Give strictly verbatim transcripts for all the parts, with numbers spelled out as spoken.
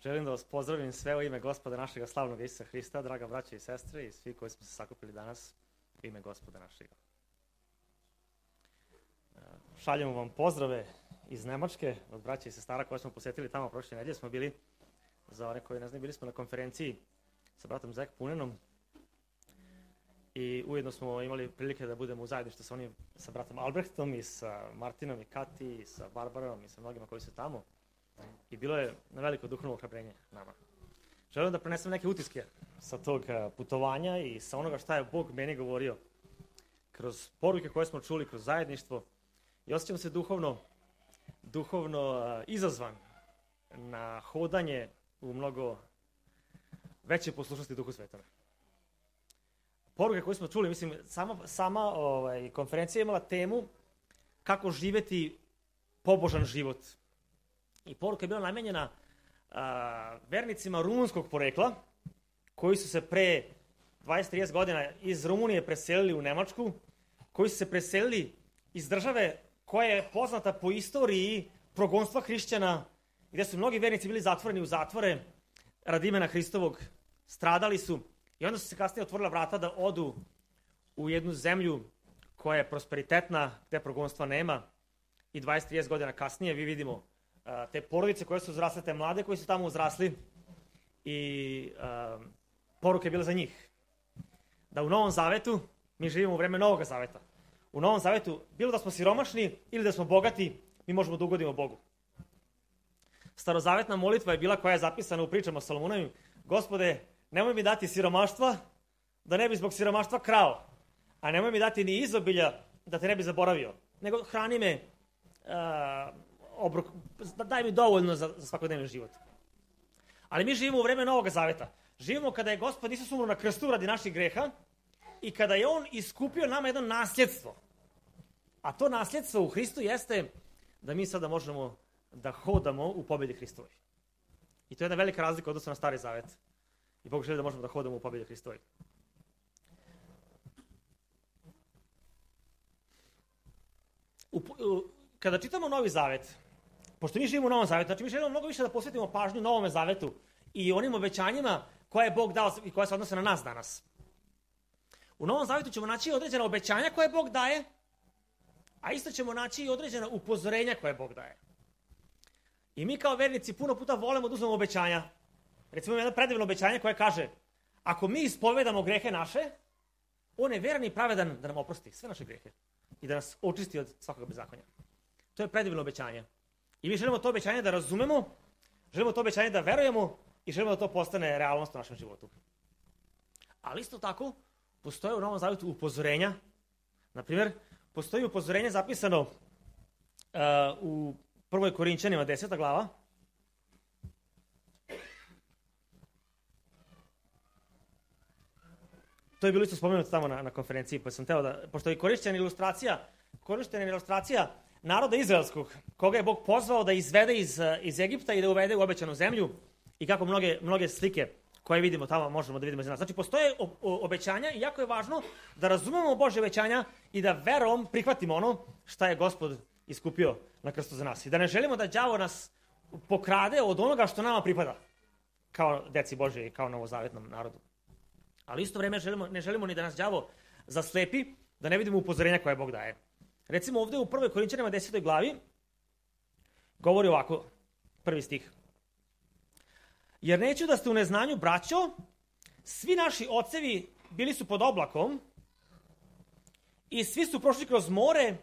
Želim da vas pozdravim sve u ime Gospoda našega slavnog Isusa Hrista, draga braća i sestre i svi koji smo se sakupili danas u ime Gospoda našega. Šaljemo vam pozdrave iz Nemačke od braća i sestara koje smo posjetili tamo prošle nedelje. Smo bili, za one koji ne znaju, bili smo na konferenciji sa bratom Zek Punenom i ujedno smo imali prilike da budemo u zajedništvu sa onim, sa bratom Albrechtom i sa Martinom i Kati i sa Barbarom i sa mnogima koji su tamo. I bilo je na veliko duhovno ohrabrenje nama. Želim da prenesem neke utiske sa tog putovanja i sa onoga šta je Bog meni govorio kroz poruke koje smo čuli, kroz zajedništvo. I osjećam se duhovno, duhovno izazvan na hodanje u mnogo veće poslušnosti Duhu Svetome. Poruke koje smo čuli, mislim, sama, sama ovaj, konferencija je imala temu kako živeti pobožan život. I poruka je bila namenjena a, vernicima rumunskog porekla, koji su se pre dvadeset do trideset godina iz Rumunije preselili u Nemačku, koji su se preselili iz države koja je poznata po istoriji progonstva hrišćana, gdje su mnogi vernici bili zatvoreni u zatvore radi imena Hristovog, stradali su i onda su se kasnije otvorila vrata da odu u jednu zemlju koja je prosperitetna, gdje progonstva nema. I dvadeset do trideset godina kasnije vi vidimo a, te porodice koje su uzrasle, te mlade koji su tamo uzrasli i a, poruka je bila za njih. Da u Novom Zavetu, mi živimo u vreme Novog Zaveta, u Novom Zavetu, bilo da smo siromašni ili da smo bogati, mi možemo da ugodimo Bogu. Starozavetna molitva je bila koja je zapisana u pričama Solomonovim. Gospode, nemoj mi dati siromaštva, da ne bi zbog siromaštva krao, a nemoj mi dati ni izobilja, da te ne bi zaboravio, nego hrani me, uh, obrok, daj mi dovoljno za, za svakodnevni život. Ali mi živimo u vreme Novog Zaveta. Živimo kada je Gospod Isus umro na krstu radi naših greha i kada je On iskupio nama jedno nasljedstvo. A to nasljedstvo u Hristu jeste da mi sada možemo da hodamo u pobjedi Hristovoj. I to je jedna velika razlika odnosno na Stari Zavet. I Bog želi da možemo da hodamo u pobjedi Hristovoj. U, u, kada čitamo Novi Zavet, pošto mi živimo u Novom Zavetu, znači mi želimo mnogo više da posvetimo pažnju Novome Zavetu i onim obećanjima koje je Bog dao i koje se odnose na nas danas. U Novom Zavetu ćemo naći određena obećanja koje Bog daje, a isto ćemo naći i određena upozorenja koje Bog daje. I mi kao vernici puno puta volimo da uzmemo obećanja. Recimo jedno predivno obećanje koje kaže: ako mi ispovedamo grehe naše, On je veran i pravedan da nam oprosti sve naše grehe i da nas očisti od svakog bezakonja. To je predivno obećanje. I mi želimo to obećanje da razumemo, želimo to obećanje da verujemo i želimo da to postane realnost u našem životu. Ali isto tako, postoje u Novom Zavetu upozorenja. Naprimjer, postoji upozorenje zapisano uh, u prvoj Korinćanima, deseta glava. To je bilo isto spomenuto tamo na, na konferenciji, pa sam teo da, pošto je korišćena ilustracija, korišćena ilustracija naroda izraelskog, koga je Bog pozvao da izvede iz, iz Egipta i da uvede u obećanu zemlju i kako mnoge, mnoge slike koje vidimo tamo možemo da vidimo iz nas. Znači, postoje o, o, obećanja i jako je važno da razumemo Božje obećanja i da verom prihvatimo ono šta je Gospod iskupio na krstu za nas. I da ne želimo da đavo nas pokrade od onoga što nama pripada, kao deci Božje i kao novozavetnom narodu. Ali isto vrijeme želimo, ne želimo ni da nas đavo zaslepi, da ne vidimo upozorenja koje Bog daje. Recimo ovdje u prvoj Korinćanima desetoj glavi govori ovako, prvi stih. Jer neću da ste u neznanju, braćo, svi naši ocevi bili su pod oblakom i svi su prošli kroz more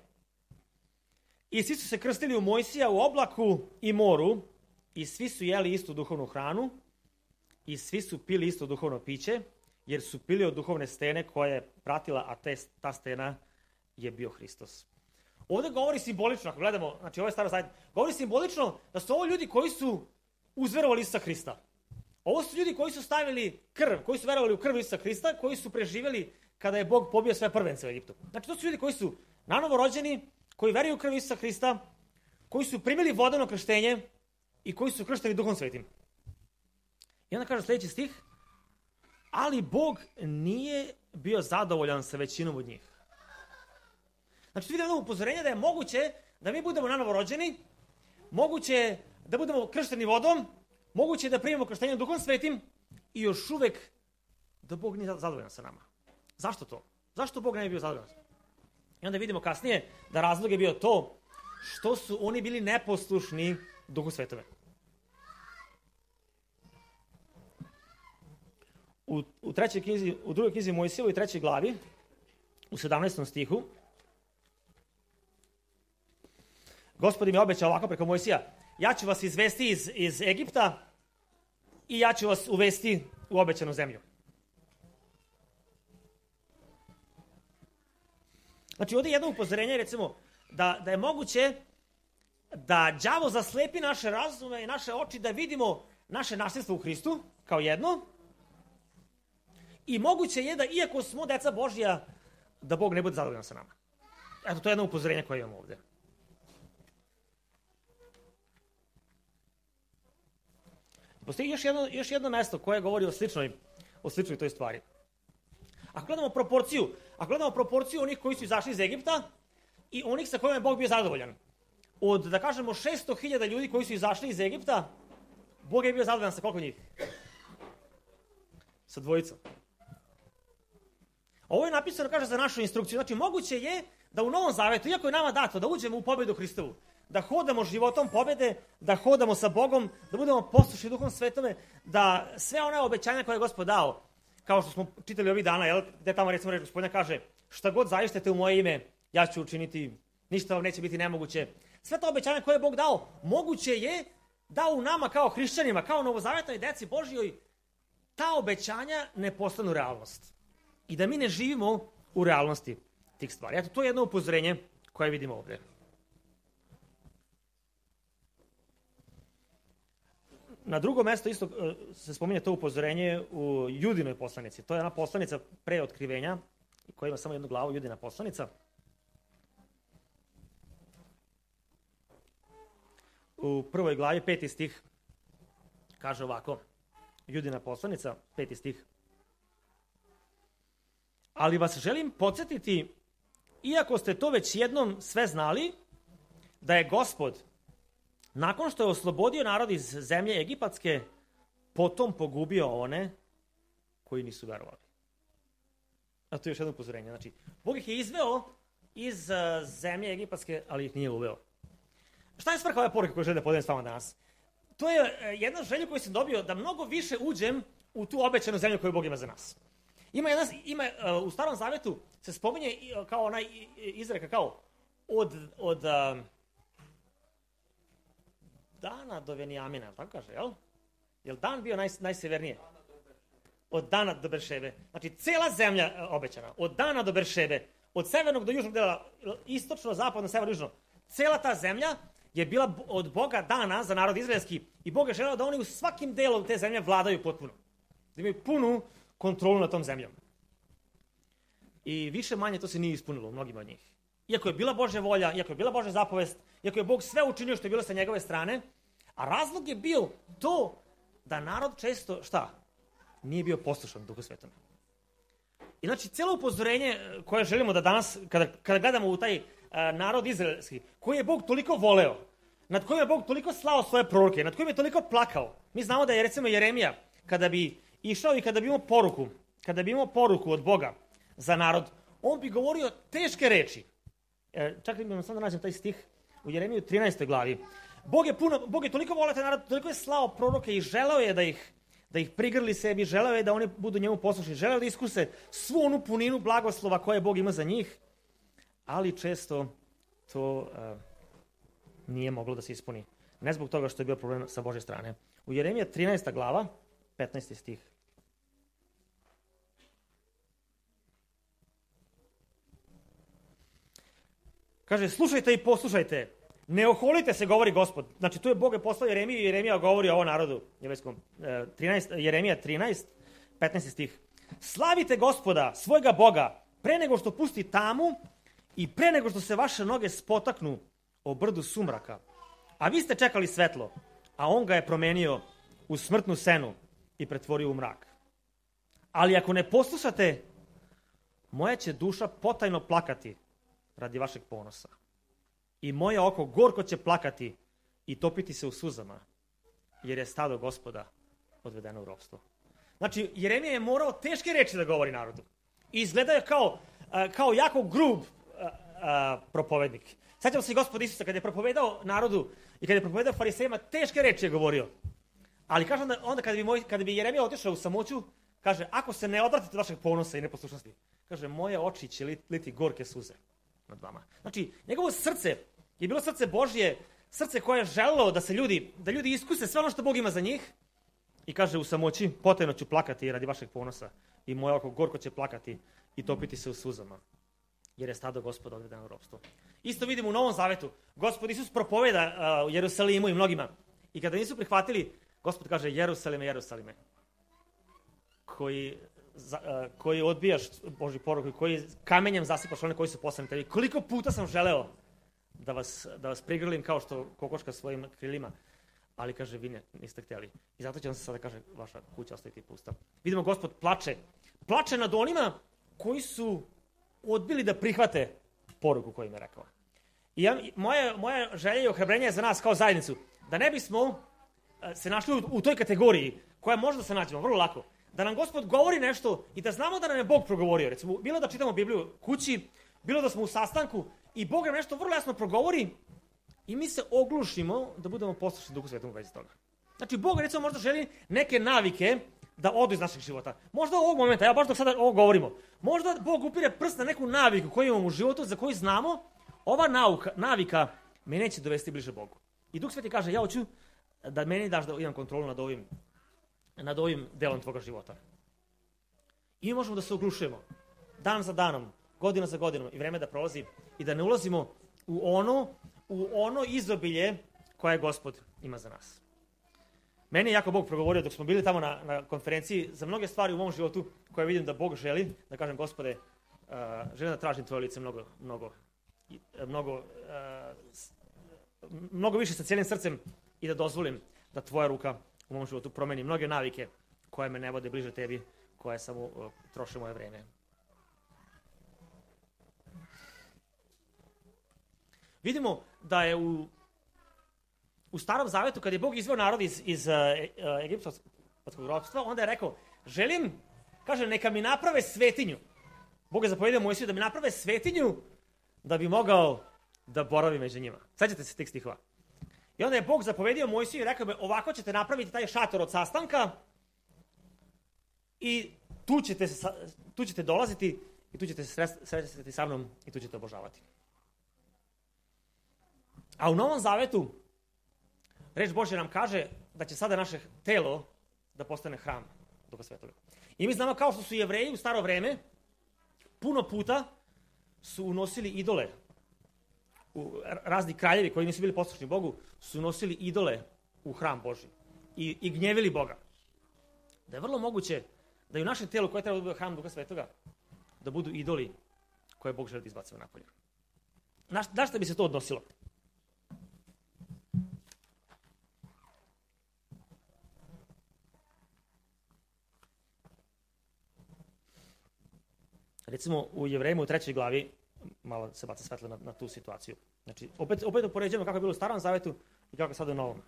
i svi su se krstili u Mojsija u oblaku i moru i svi su jeli istu duhovnu hranu i svi su pili isto duhovno piće, jer su pili od duhovne stene koja je pratila, a te, ta stena je bio Hristos. Ovdje govori simbolično, ako gledamo, znači ovo je Staro Zavet, govori simbolično da su ovo ljudi koji su uzverovali Isusa Hrista. Ovo su ljudi koji su stavili krv, koji su verovali u krv Isusa Hrista, koji su preživjeli kada je Bog pobio sve prvence u Egiptu. Znači to su ljudi koji su nanovo rođeni, koji veruju u krv Isusa Hrista, koji su primili vodeno krštenje i koji su kršteni Duhom Svetim. I onda kaže sljedeći stih, ali Bog nije bio zadovoljan sa većinom od njih. Znači tu vidimo upozorenje da je moguće da mi budemo nanovo rođeni, moguće da budemo kršteni vodom, Moguće je da primimo krštenje Duhom Svetim i još uvek da Bog nije zadovoljan sa nama. Zašto to? Zašto Bog ne bi bio zadovoljan? I onda vidimo kasnije da razlog je bio to što su oni bili neposlušni Duhu Svetome. U, u, trećoj knjizi, u drugoj knjizi Mojsijevoj trećoj glavi, u sedamnaestom stihu, Gospod im je obećao ovako preko Mojsija: ja ću vas izvesti iz, iz Egipta i ja ću vas uvesti u obećanu zemlju. Znači, ovdje je jedno upozorenje, recimo, da, da je moguće da đavo zaslepi naše razume i naše oči da vidimo naše nasljedstvo u Hristu, kao jedno, i moguće je da, iako smo deca Božja, da Bog ne bude zadovoljan sa nama. Eto, to je jedno upozorenje koje imamo ovdje. Postoji još jedno, još jedno mesto koje govori o sličnoj, o sličnoj toj stvari. Ako gledamo proporciju, ako gledamo proporciju onih koji su izašli iz Egipta i onih sa kojima je Bog bio zadovoljan, od, da kažemo, šesto hiljada ljudi koji su izašli iz Egipta, Bog je bio zadovoljan sa koliko njih? Sa dvojicom. Ovo je napisano, kaže, za našu instrukciju. Znači, moguće je da u Novom Zavetu, iako je nama dato da uđemo u pobedu Hristovu, da hodamo životom pobede, da hodamo sa Bogom, da budemo poslušni Duhom Svetome, da sve one obećanja koje je Gospod dao, kao što smo čitali ovih dana, jel, gde tamo recimo reč Gospodina kaže: šta god zaištete u moje ime, ja ću učiniti, ništa vam neće biti nemoguće. Sve to obećanja koje je Bog dao, moguće je da u nama kao hrišćanima, kao novozavetnoj deci Božjoj, ta obećanja ne postanu realnost. I da mi ne živimo u realnosti tih stvari. Eto, to je jedno upozorenje koje vidimo ovdje. Na drugo mesto isto se spominje to upozorenje u Judinoj poslanici. To je ona poslanica pre otkrivenja, koja ima samo jednu glavu, Judina poslanica. U prvoj glavi, peti stih, kaže ovako, Judina poslanica, peti stih. Ali vas želim podsjetiti, iako ste to već jednom sve znali, da je Gospod, nakon što je oslobodio narod iz zemlje egipatske, potom pogubio one koji nisu verovali. A to je još jedno upozorenje. Znači, Bog ih je izveo iz uh, zemlje egipatske, ali ih nije uveo. Šta je svrha ove poruke koju želim da podelim s vama danas? To je uh, jedna želja koju sam dobio, da mnogo više uđem u tu obećanu zemlju koju Bog ima za nas. Ima jedna, ima, uh, u Starom Zavetu se spominje uh, kao onaj izreka, kao od, od uh, Dana do Venijamina, tako kaže, jel? Jel Dan bio naj, najsevernije? Od Dana do Beršebe. Znači, cela zemlja uh, obećana, od Dana do Beršebe, od severnog do južnog dela, istočno, zapadno, severno, južno. Cela ta zemlja je bila od Boga dana za narod izraelski i Bog je želeo da oni u svakim delom te zemlje vladaju potpuno. Da imaju punu kontrolu nad tom zemljom. I više manje to se nije ispunilo u mnogima od njih. Iako je bila Božja volja, iako je bila Božja zapovest, iako je Bog sve učinio što je bilo sa njegove strane, a razlog je bio to da narod često, šta? Nije bio poslušan Duhu Svetom. I znači, cijelo upozorenje koje želimo da danas, kada, kada gledamo u taj uh, narod izraelski, koji je Bog toliko voleo, nad kojim je Bog toliko slao svoje proroke, nad kojim je toliko plakao. Mi znamo da je, recimo, Jeremija, kada bi išao i kada bi imao poruku, kada bi imao poruku od Boga za narod, on bi govorio teške reči. E, čak li mi sam da nađem taj stih u Jeremiju trinaestoj glavi. Bog je, puno, Bog je toliko voleo taj narod, toliko je slao proroke i želeo je da ih, da ih prigrli sebi, želeo je da oni budu njemu poslušni, želeo je da iskuse svu onu puninu blagoslova koje Bog ima za njih, ali često to uh, nije moglo da se ispuni. Ne zbog toga što je bio problem sa Božje strane. U Jeremija trinaesta glava, petnaesti stih. Kaže, slušajte i poslušajte, ne oholite se, govori Gospod. Znači, tu je Bog je poslao Jeremiju i Jeremija govori o ovom narodu. trinaest, Jeremija trinaest, petnaesti stih. Slavite Gospoda, svojega Boga, pre nego što pusti tamu i pre nego što se vaše noge spotaknu o brdu sumraka. A vi ste čekali svetlo, a on ga je promenio u smrtnu senu i pretvorio u mrak. Ali ako ne poslušate, moja će duša potajno plakati radi vašeg ponosa. I moje oko gorko će plakati i topiti se u suzama jer je stado Gospoda odvedeno u ropstvo. Znači, Jeremija je morao teške reči da govori narodu. I izgleda je kao, kao jako grub propovednik. Sjećamo se i Gospoda Isusa kada je propovedao narodu i kada je propovedao farisejima, teške reči je govorio. Ali kaže onda, onda kada, bi moj, kada bi Jeremija otišao u samoću, kaže, ako se ne odvratite od vašeg ponosa i neposlušnosti, kaže, moje oči će liti gorke suze nad vama. Znači, njegovo srce je bilo srce Božje, srce koje je želelo da se ljudi, da ljudi iskuse sve ono što Bog ima za njih. I kaže u samoći, potajno ću plakati radi vašeg ponosa i moje oko gorko će plakati i topiti se u suzama, jer je stado Gospoda odvedeno u ropstvo. Isto vidimo u Novom Zavetu. Gospod Isus propoveda uh, u Jerusalimu i mnogima. I kada nisu prihvatili, Gospod kaže, Jerusalime, Jerusalime, koji, za, uh, koji odbijaš Božju poruku i koji kamenjem zasipaš one koji su poslani tebi. Koliko puta sam želeo da vas, da vas prigrlim kao što kokoška svojim krilima, ali kaže, vi ne, niste htjeli. I zato će vam se sada, kaže, vaša kuća ostaviti pusta. Vidimo, Gospod plače. Plače nad onima koji su odbili da prihvate poruku koju im je rekao. I ja, moja, moja želja i ohrabrenje je za nas kao zajednicu, da ne bismo se našli u, u toj kategoriji koja može da se nađemo vrlo lako. Da nam Gospod govori nešto i da znamo da nam je Bog progovorio. Recimo, bilo da čitamo Bibliju kući, bilo da smo u sastanku i Bog nam nešto vrlo jasno progovori i mi se oglušimo da budemo poslušni Duhu Svetom u vezi toga. Znači, Bog recimo možda želi neke navike da odu iz našeg života. Možda u ovog momenta, ja baš dok sada ovo govorimo, možda Bog upire prst na neku naviku koju imamo u životu, za koju znamo, ova nauka, navika me neće dovesti bliže Bogu. I Duh Sveti kaže, ja hoću da meni daš da imam kontrolu nad ovim, nad ovim delom tvoga života. I mi možemo da se oglušujemo dan za danom, godina za godinom i vreme da prolazi i da ne ulazimo u ono, u ono izobilje koje Gospod ima za nas. Meni je jako Bog progovorio dok smo bili tamo na, na konferenciji za mnoge stvari u mom životu koje vidim da Bog želi, da kažem, Gospode, uh, želim da tražim tvoje lice mnogo, mnogo, mnogo, uh, mnogo više sa cijelim srcem i da dozvolim da tvoja ruka u mom životu promeni mnoge navike koje me ne vode bliže tebi, koje samo uh, troše moje vreme. Vidimo da je u U Starom Zavetu, kad je Bog izveo narod iz, iz uh, egiptskog ropstva, onda je rekao, želim, kaže, neka mi naprave svetinju. Bog je zapovjedio Mojsiju da mi naprave svetinju da bi mogao da boravi među njima. Sjećate se tih stihova. I onda je Bog zapovjedio Mojsiju i rekao bi, ovako ćete napraviti taj šator od sastanka i tu ćete, tu ćete dolaziti i tu ćete se sretati sa mnom i tu ćete obožavati. A u Novom Zavetu reč Božja nam kaže da će sada naše telo da postane hram Duha Svetoga. I mi znamo kao što su Jevreji u staro vreme puno puta su unosili idole. U, razni kraljevi koji nisu bili poslušni Bogu su unosili idole u hram Božji i, i gnjevili Boga. Da je vrlo moguće da i u našem telu koje treba da bude hram Duha Svetoga da budu idoli koje Bog želi da izbacuje napolje. Na, na šta bi se to odnosilo? Recimo u Jevrejima u trećoj glavi, malo se baca svetlo na, na tu situaciju. Znači, opet, opet upoređujemo kako je bilo u Starom Zavetu i kako je sada u Novom.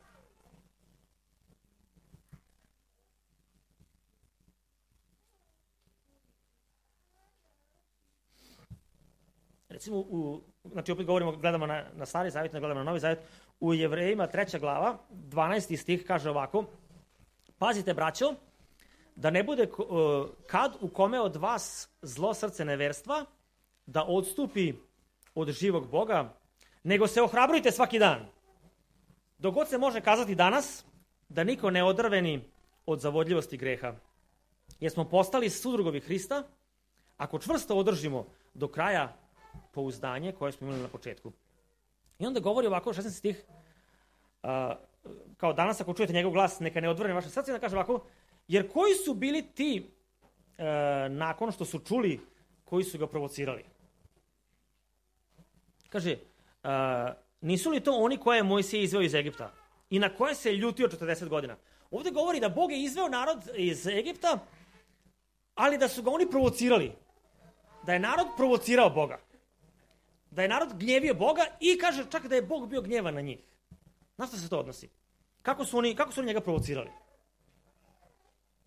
Recimo, u, znači opet govorimo, gledamo na, na Stari Zavet, ne gledamo na Novi Zavet. U Jevrejima treća glava, dvanaesti stih kaže ovako, pazite braćo, da ne bude uh, kad u kome od vas zlo srce neverstva, da odstupi od živog Boga, nego se ohrabrujte svaki dan. Dok god se može kazati danas, da niko ne odrveni od zavodljivosti greha. Jer smo postali sudrugovi Hrista, ako čvrsto održimo do kraja pouzdanje koje smo imali na početku. I onda govori ovako, šesnaesti stih, uh, kao danas ako čujete njegov glas, neka ne odvrne vaše srce, da kaže ovako, jer koji su bili ti e, nakon što su čuli koji su ga provocirali? Kaže, e, nisu li to oni koje je Mojsije izveo iz Egipta i na koje se je ljutio četrdeset godina? Ovdje govori da Bog je izveo narod iz Egipta, ali da su ga oni provocirali. Da je narod provocirao Boga. Da je narod gnjevio Boga i kaže čak da je Bog bio gnjevan na njih. Na što se to odnosi? kako su oni, kako su oni njega provocirali?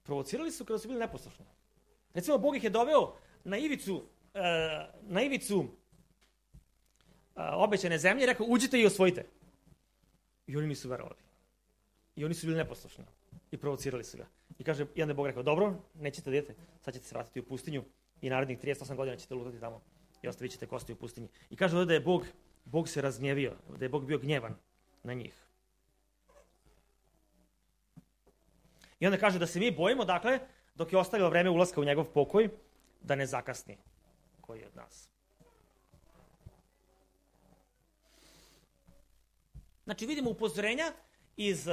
Provocirali su kada su bili neposlušni. Recimo, Bog ih je doveo na ivicu, e, na ivicu e, obećane zemlje i rekao, uđite i osvojite. I oni nisu verovali. I oni su bili neposlušni. I provocirali su ga. I kaže, i onda je Bog rekao, dobro, nećete da idete, sad ćete se vratiti u pustinju i narednih trideset osam godina ćete lutati tamo i ostavit ćete kosti u pustinji. I kaže ovdje da je Bog, Bog se razgnjevio, da je Bog bio gnjevan na njih. I onda kaže da se mi bojimo, dakle, dok je ostavilo vreme ulaska u njegov pokoj, da ne zakasni koji je od nas. Znači, vidimo upozorenja iz...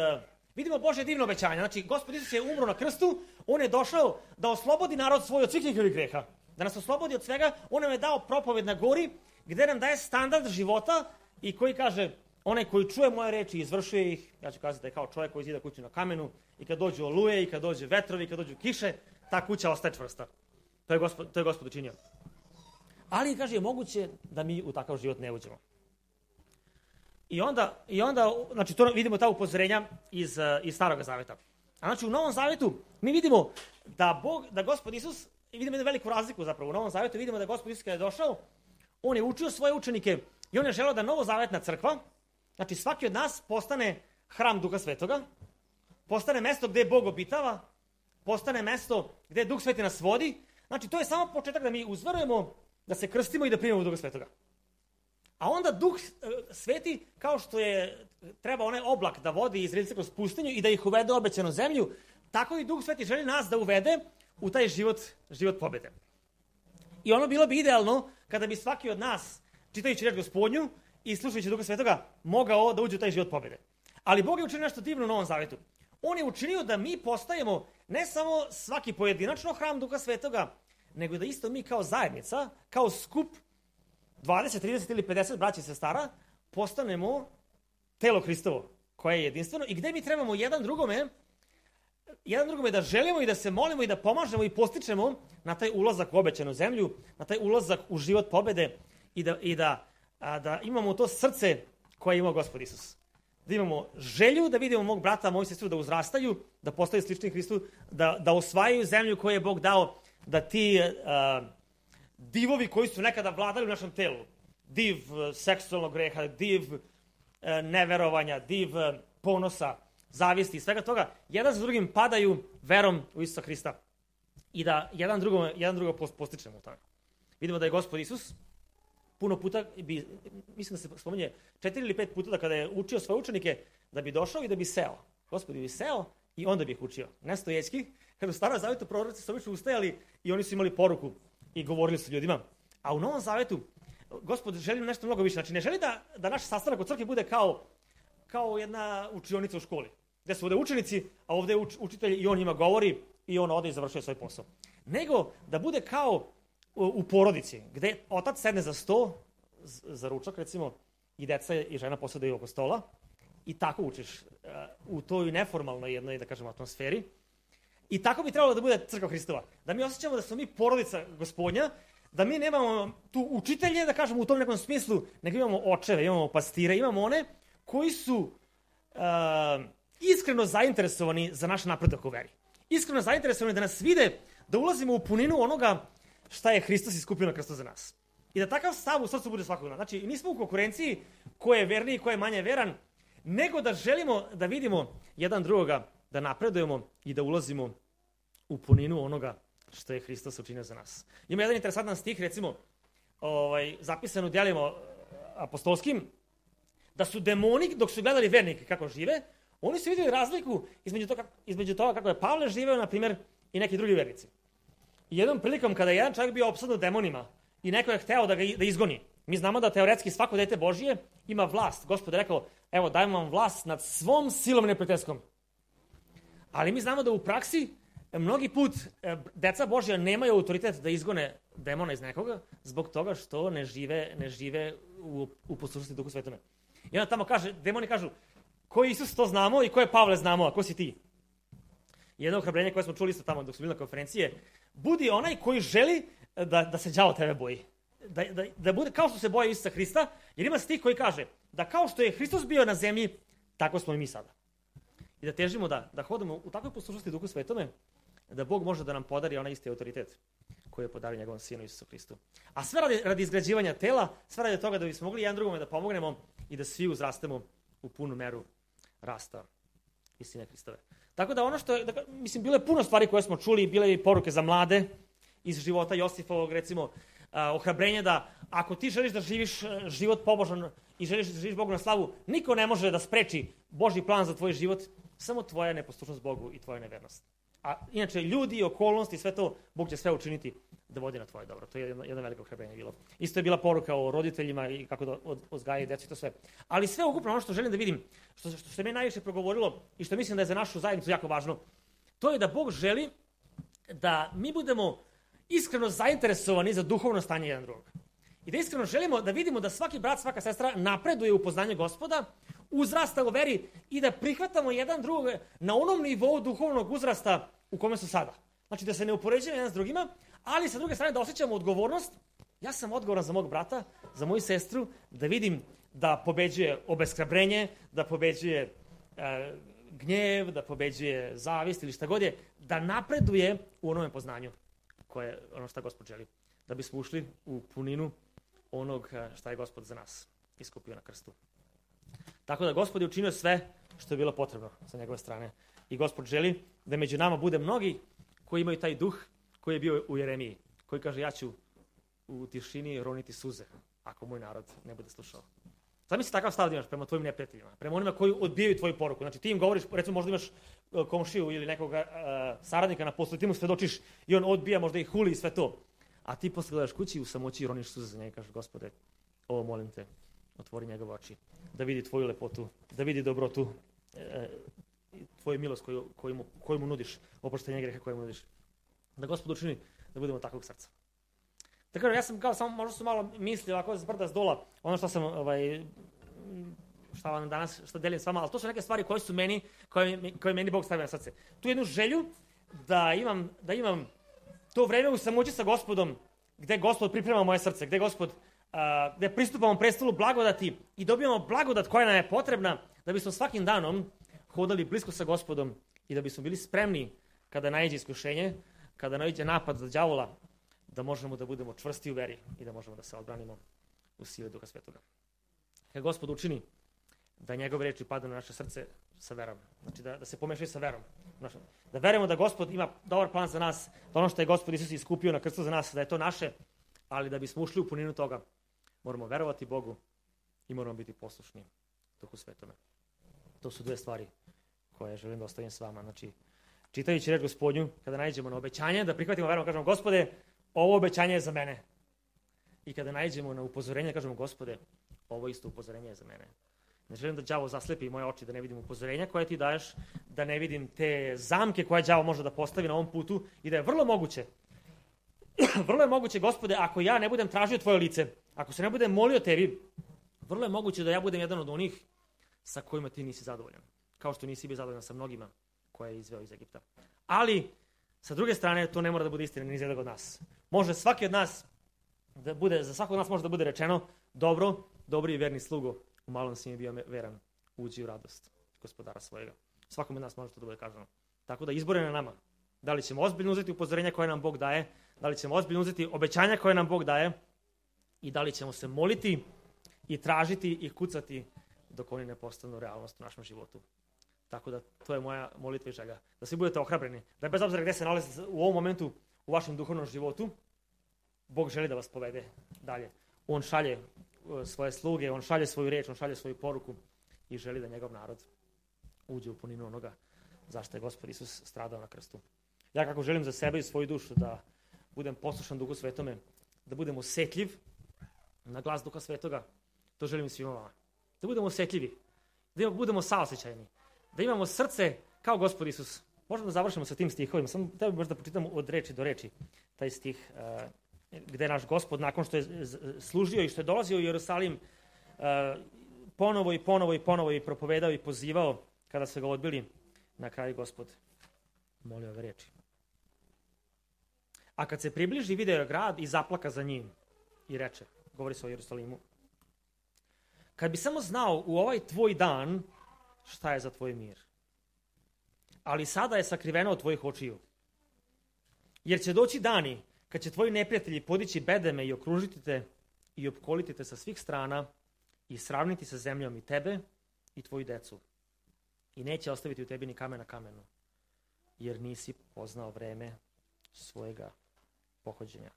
Vidimo Božje divno obećanje. Znači, Gospod Isus je umro na krstu, on je došao da oslobodi narod svoj od svih njihovih greha. Da nas oslobodi od svega, on nam je dao propoved na gori, gdje nam daje standard života i koji kaže, onaj koji čuje moje reči i izvršuje ih, ja ću kazati da je kao čovjek koji zida kuću na kamenu, i kad dođu oluje, i kad dođu vetrovi, i kad dođu kiše, ta kuća ostaje čvrsta. To je Gospod, to je Gospod učinio. Ali, kaže, je moguće da mi u takav život ne uđemo. I onda, i onda znači, to vidimo ta upozorenja iz, iz Starog zaveta. A znači, u Novom zavetu mi vidimo da Bog, da Gospod Isus, i vidimo jednu veliku razliku zapravo, u Novom zavetu vidimo da Gospod Isus kada je došao, on je učio svoje učenike i on je želeo da novozavetna crkva, znači svaki od nas postane hram Duha Svetoga, postane mesto gdje Bog obitava, postane mesto gdje Duh Sveti nas vodi. Znači, to je samo početak da mi uzverujemo, da se krstimo i da primimo Duha Svetoga. A onda Duh Sveti, kao što je treba onaj oblak da vodi Izraelce kroz pustinju i da ih uvede u obećanu zemlju, tako i Duh Sveti želi nas da uvede u taj život, život pobjede. I ono bilo bi idealno kada bi svaki od nas, čitajući reč Gospodnju i slušajući Duha Svetoga, mogao da uđe u taj život pobjede. Ali Bog je učinio nešto divno u Novom Zavetu. On je učinio da mi postajemo ne samo svaki pojedinačno hram Duha Svetoga, nego da isto mi kao zajednica, kao skup dvadeset, trideset ili pedeset braća i sestara, postanemo telo Hristovo, koje je jedinstveno i gdje mi trebamo jedan drugome, jedan drugome da želimo i da se molimo i da pomažemo i postičemo na taj ulazak u obećanu zemlju, na taj ulazak u život pobjede i da, i da, a, da imamo to srce koje je imao Gospod Isus. Da imamo želju da vidimo mog brata, moju sestru da uzrastaju, da postaju slični Hristu, da, da osvajaju zemlju koju je Bog dao, da ti a, divovi koji su nekada vladali u našem telu, div seksualnog greha, div a, neverovanja, div ponosa, zavisti i svega toga, jedan za drugim padaju verom u Isusa Hrista i da jedan drugo, jedan drugo postičemo u tome. Vidimo da je Gospod Isus puno puta, bi, mislim da se spominje četiri ili pet puta da kada je učio svoje učenike, da bi došao i da bi seo. Gospod bi seo i onda bi ih učio. Ne stojećki, kada u Starom Zavetu proroci su obično ustajali i oni su imali poruku i govorili su ljudima. A u Novom Zavetu Gospod želi nešto mnogo više. Znači ne želi da, da naš sastanak u crkvi bude kao, kao jedna učionica u školi. Gdje su ovdje učenici, a ovdje je uč, učitelj i on njima govori i on ode i završuje svoj posao. Nego da bude kao u porodici, gdje otac sedne za sto, za ručak recimo, i deca i žena posedaju oko stola i tako učiš u toj neformalnoj jednoj, da kažem, atmosferi. I tako bi trebalo da bude crkva Hristova. Da mi osjećamo da smo mi porodica Gospodnja, da mi nemamo tu učitelje, da kažemo u tom nekom smislu, nego imamo očeve, imamo pastire, imamo one koji su uh, iskreno zainteresovani za naš napredak u veri. Iskreno zainteresovani da nas vide, da ulazimo u puninu onoga šta je Hristos iskupio na krstu za nas. I da takav stav u srcu bude svakog nas. Znači, nismo u konkurenciji ko je verniji, ko je manje veran, nego da želimo da vidimo jedan drugoga, da napredujemo i da ulazimo u puninu onoga što je Hristos učinio za nas. Ima jedan interesantan stih, recimo, ovaj, zapisan u djelima apostolskim, da su demoni, dok su gledali vernike kako žive, oni su vidjeli razliku između toga, između toga kako je Pavle živeo, na primjer, i neki drugi vernici. I jednom prilikom kada je jedan čovjek bio opsadnut demonima i neko je hteo da ga da izgoni, mi znamo da teoretski svako dete Božije ima vlast. Gospod je rekao, evo dajem vam vlast nad svom silom neprijateljskom. Ali mi znamo da u praksi mnogi put deca Božja nemaju autoritet da izgone demona iz nekoga zbog toga što ne žive, ne žive u, u poslušnosti Duhu Svetome. I onda tamo kaže, demoni kažu, ko je Isus to znamo i ko je Pavle znamo, a ko si ti? Jedno ohrabrenje koje smo čuli isto tamo dok smo bili na konferencije, budi onaj koji želi da, da se đavo tebe boji. Da, da, da bude kao što se boje Isusa Hrista, jer ima stih koji kaže da kao što je Hristos bio na zemlji, tako smo i mi sada. i da težimo da, da hodamo u takvoj poslušnosti Duhu Svetome, da Bog može da nam podari onaj isti autoritet koji je podario njegovom Sinu Isusu Hristu. A sve radi, radi izgrađivanja tela, sve radi toga da bismo mogli jedan drugome da pomognemo i da svi uzrastemo u punu meru rasta istine Hristove. Tako da ono što je, da, mislim, bilo je puno stvari koje smo čuli, bile i poruke za mlade iz života Josifovog, recimo, a, ohrabrenje da ako ti želiš da živiš život pobožan i želiš da živiš Bogu na slavu, niko ne može da spreči Božji plan za tvoj život, samo tvoja neposlušnost Bogu i tvoja nevernost. A inače, ljudi, okolnosti, sve to, Bog će sve učiniti da vodi na tvoje dobro. To je jedno, jedno veliko ohrabrenje bilo. Isto je bila poruka o roditeljima i kako da odgajaju djecu i to sve. Ali sve ukupno ono što želim da vidim, što, što se meni najviše progovorilo i što mislim da je za našu zajednicu jako važno, to je da Bog želi da mi budemo iskreno zainteresovani za duhovno stanje jedan drugog. I da iskreno želimo da vidimo da svaki brat, svaka sestra napreduje u poznanju Gospoda, uzrasta u veri i da prihvatamo jedan drugog na onom nivou duhovnog uzrasta u kome su sada. Znači da se ne upoređujemo jedan s drugima, ali sa druge strane da osjećamo odgovornost. Ja sam odgovoran za mog brata, za moju sestru, da vidim da pobeđuje obeshrabrenje, da pobeđuje e, gnjev, da pobeđuje zavist ili šta god je, da napreduje u onome poznanju koje ono šta Gospod želi. Da bismo ušli u puninu onog šta je Gospod za nas iskupio na krstu. Tako da Gospod je učinio sve što je bilo potrebno sa njegove strane. I Gospod želi da među nama bude mnogi koji imaju taj duh koji je bio u Jeremiji. Koji kaže, ja ću u tišini roniti suze ako moj narod ne bude slušao. Zamisli takav stav da imaš prema tvojim neprijateljima, prema onima koji odbijaju tvoju poruku. Znači ti im govoriš, recimo možda imaš komšiju ili nekog uh, saradnika na poslu, ti mu svedočiš i on odbija, možda i huli i sve to. A ti posle gledaš kući u samoći i roniš suze za njega i kažeš, Gospode, ovo molim te, otvori njegove oči, da vidi tvoju lepotu, da vidi dobrotu, e, tvoju milost koju, koju, mu, koju mu nudiš, oproštenje greha koju mu nudiš. Da Gospod učini da budemo takvog srca. Tako da ja sam kao, samo možda su malo misli ovako s brda s dola, ono što sam, ovaj, šta vam danas, što delim s vama, ali to su neke stvari koje su meni, koje, koje meni Bog stavio na srce. Tu jednu želju da imam, da imam to vreme u samoći sa Gospodom, gde Gospod priprema moje srce, gde Gospod, uh, gde pristupamo prestolu blagodati i dobijamo blagodat koja nam je potrebna da bismo svakim danom hodali blisko sa Gospodom i da bismo bili spremni kada naiđe iskušenje, kada naiđe napad od đavola, da možemo da budemo čvrsti u veri i da možemo da se odbranimo u sili Duha Svetoga. Kad Gospod učini da njegove reči padnu na naše srce sa verom, znači da, da se pomešaju sa verom, da verujemo da Gospod ima dobar plan za nas, da ono što je Gospod Isus iskupio na krstu za nas, da je to naše, ali da bismo ušli u puninu toga, moramo verovati Bogu i moramo biti poslušni Duhu Svetome. To su dve stvari koje želim da ostavim s vama. Znači, čitajući reč Gospodnju, kada naiđemo na obećanje, da prihvatimo verom, kažemo, Gospode, ovo obećanje je za mene. I kada naiđemo na upozorenje, kažemo, Gospode, ovo isto upozorenje je za mene. Ne želim da đavo zaslepi moje oči, da ne vidim upozorenja koje ti daješ, da ne vidim te zamke koje đavo može da postavi na ovom putu i da je vrlo moguće, vrlo je moguće, Gospode, ako ja ne budem tražio tvoje lice, ako se ne budem molio tebi, vrlo je moguće da ja budem jedan od onih sa kojima ti nisi zadovoljan. Kao što nisi bio zadovoljan sa mnogima koje je izveo iz Egipta. Ali, sa druge strane, to ne mora da bude istina ni za jednog od nas. Može svaki od nas, da bude, za svakog od nas može da bude rečeno, dobro, dobri i verni slugo, u malom si mi bio veran, uđi u radost Gospodara svojega. Svakom od nas može to da bude kaženo. Tako da izbor je na nama. Da li ćemo ozbiljno uzeti upozorenja koje nam Bog daje, da li ćemo ozbiljno uzeti obećanja koje nam Bog daje i da li ćemo se moliti i tražiti i kucati dok oni ne postanu realnost u našem životu. Tako da to je moja molitva i želja. Da svi budete ohrabreni. Da bez obzira gde se nalazite u ovom momentu u vašem duhovnom životu, Bog želi da vas povede dalje. On šalje svoje sluge, on šalje svoju reč, on šalje svoju poruku i želi da njegov narod uđe u puninu onoga zašto je Gospod Isus stradao na krstu. Ja kako želim za sebe i svoju dušu da budem poslušan Duhu Svetome, da budem osjetljiv na glas Duha Svetoga, to želim svima vama. Da budemo osjetljivi, da budemo saosećajni, da imamo srce kao Gospod Isus. Možemo da završimo sa tim stihovima, samo treba možda pročitamo od reči do reči taj stih uh, gde naš Gospod nakon što je služio i što je dolazio u Jerusalim uh, ponovo i ponovo i ponovo i propovedao i pozivao kada su ga odbili, na kraju Gospod molio ove reči. A kad se približi, video je grad i zaplaka za njim i reče, govori se o Jerusalimu, kad bi samo znao u ovaj tvoj dan šta je za tvoj mir. ali sada je sakriveno od tvojih očiju. Jer će doći dani kad će tvoji neprijatelji podići bedeme i okružiti te i opkoliti te sa svih strana i sravniti sa zemljom i tebe i tvoju decu. I neće ostaviti u tebi ni kamen na kamenu, jer nisi poznao vreme svojega pohođenja.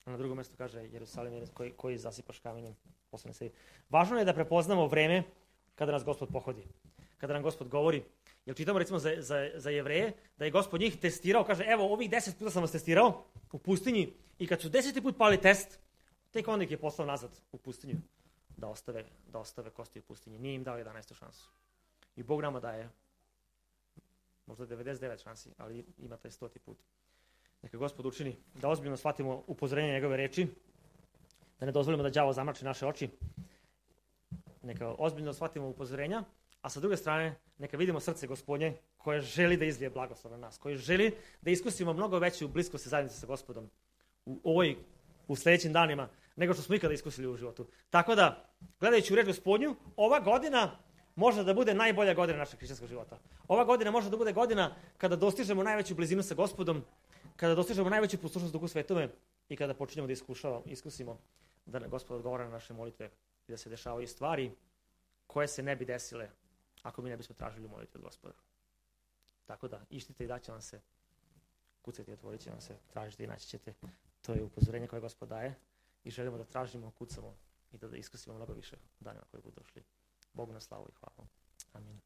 Na drugom mjestu kaže Jerusalim je koji, koji zasipaš kamenjem posle sebi. Važno je da prepoznamo vreme kada nas Gospod pohodi. Kada nam Gospod govori, jer čitamo recimo za, za, za Jevreje, da je Gospod njih testirao, kaže evo ovih deset puta sam vas testirao u pustinji i kad su deseti put pali test, tek onda ih je poslao nazad u pustinju da ostave, da ostave kosti u pustinji. Nije im dao jedanaestu šansu. I Bog nama daje možda devedeset devet šansi, ali ima taj stoti put. Neka Gospod učini da ozbiljno shvatimo upozorenje njegove reči, da ne dozvolimo da đavo zamrači naše oči. Neka ozbiljno shvatimo upozorenja, a sa druge strane neka vidimo srce Gospodnje koje želi da izlije blagoslov na nas, koje želi da iskusimo mnogo veću bliskost i zajednicu sa Gospodom u ovoj, u sljedećim danima, nego što smo ikada iskusili u životu. Tako da, gledajući u reč Gospodnju, ova godina može da bude najbolja godina našeg hrišćanskog života. Ova godina može da bude godina kada dostižemo najveću blizinu sa Gospodom, kada dostižemo najveću poslušnost Duhu Svetome i kada počinjemo da iskušavamo, iskusimo da na Gospod odgovara na naše molitve i da se dešavaju stvari koje se ne bi desile ako mi ne bismo tražili molitve od Gospoda. Tako da, ištite i daće vam se, kucajte i otvorit će vam se, tražite i naći ćete. To je upozorenje koje Gospod daje i želimo da tražimo, kucamo i da, da iskusimo mnogo više u danima koji budu došli. Bogu na slavu i hvala. Amin.